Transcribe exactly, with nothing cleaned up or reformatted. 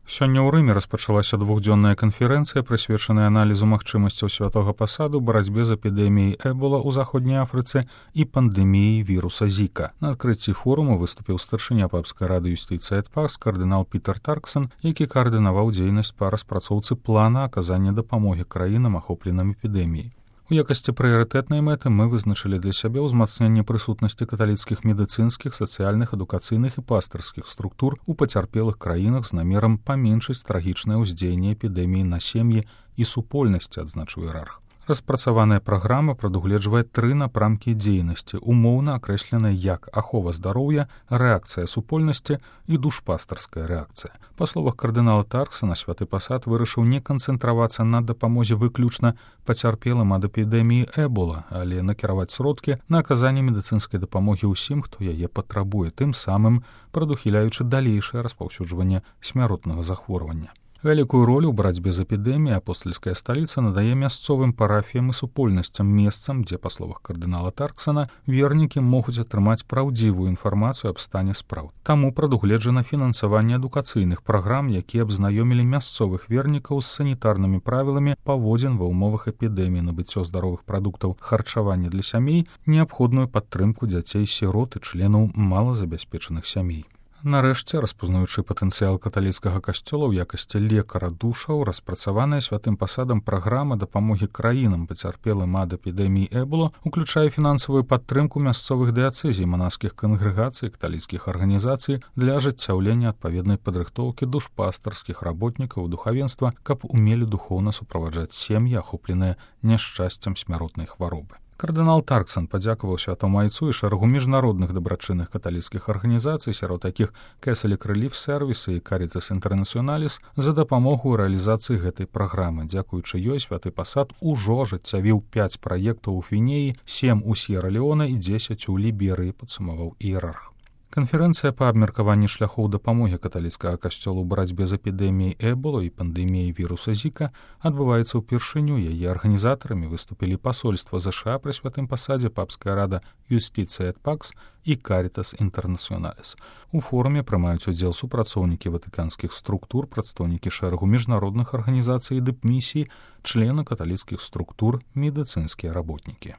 Сёння ў Рыме распачалася двухдзённая канферэнцыя, прысвечаная аналізу магчымасцяў святога пасаду, барацьбе з эпідэміяй эбола ў заходняй Афрыцы і пандэміяй віруса Зіка. На адкрыцці форуму выступіў старшыня папскай рады юстыцыі эт пакс кардынал Пітер Тарксон, які каардынаваў дзейнасць па распрацоўцы плана аказання дапамогі краінам, ахопленым эпідэміяй. У якасці прыярытэтнай мэты мы вызначылі для сябе ўзмацненне прысутнасці каталіцкіх медыцынскіх, сацыяльных, адукацыйных і пастырскіх структур у пацярпелых краінах з намерам паменшыць трагічнае ўздзеянне эпідэміі на сем'і і супольнасці, адзначыў іерарх. Распрацаваная праграма прадугледжвае тры напрамкі дзейнасці, умоўна акрэсленыя як ахова здароўя, рэакцыя супольнасці і душпастарская рэакцыя. Па словах кардынала Тарксона, святы пасад вырашыў не канцэнтравацца на дапамозе выключна пацярпелым ад эпідэміі эбола, але накіраваць сродкі на аказанне медыцынскай дапамогі ўсім, хто яе патрабуе, тым самым прадухіляючы далейшае распаўсюджванне смяротнага захворвання. Вялікую ролю ў барацьбе з эпідэміяй апостальская сталіца надае мясцовым парафіям і супольнасцям, месцам, дзе, па словах кардынала Тарксона, вернікі могуць атрымаць праўдзівую інфармацыю аб стане спраў. Таму прадугледжана фінансаванне адукацыйных праграм, якія аб знаёмілі мясцовых вернікаў з санітарнымі правіламі паводзін ва ўмовах эпідэміі, набыццё здаровых прадуктаў харчавання для сямей, неабходную падтрымку дзяцей-сірот і членаў малазабяспечаных сямей. Нарэшце, распазнаючы патэнцыял каталіцкага касцёла ў якасці лекара душаў, распрацаваная святым пасадам праграма дапамогі краінам, пацярпелым ад эпідэміі эбола, уключае фінансавую падтрымку мясцовых дыяцэзій, манаскіх кангрэгацый, каталіцкіх арганізацый для ажыццяўлення адпаведнай падрыхтоўкі душпастарскіх работнікаў духавенства, каб умелі духоўна суправаджаць сем'і, ахопленыя няшчасцем смяротнай хваробы. Кардынал Тарксон падзякаваў святому айцу і шэрагу міжнародных дабрачынных каталіцкіх арганізацый, сярод такіх Catholic Relief Service і Caritas Internationalis, за дапамогу ў рэалізацыі гэтай праграмы. Дзякуючы ёй святы пасад ужо ажыццявіў пяць праектаў у Фінеі, сем у С'ера-Леоне і дзесяць у Ліберыі, падсумаваў іерарх. Канферэнцыя па абмеркаванні шляхоў дапамогі каталіцкага касцёла ў барацьбе з эпідэміяй эбола і пандэміяй віруса Зіка адбываецца ўпершыню. Яе арганізатарамі выступілі пасольства ЗША пры святым пасадзе, папская рада юстыцыі эт пакс і Caritas Internationalis. У форуме прымаюць удзел супрацоўнікі ватыканскіх структур, прадстаўнікі шэрагу міжнародных арганізацый і дыпмісій, члены каталіцкіх структур, медыцынскія работнікі.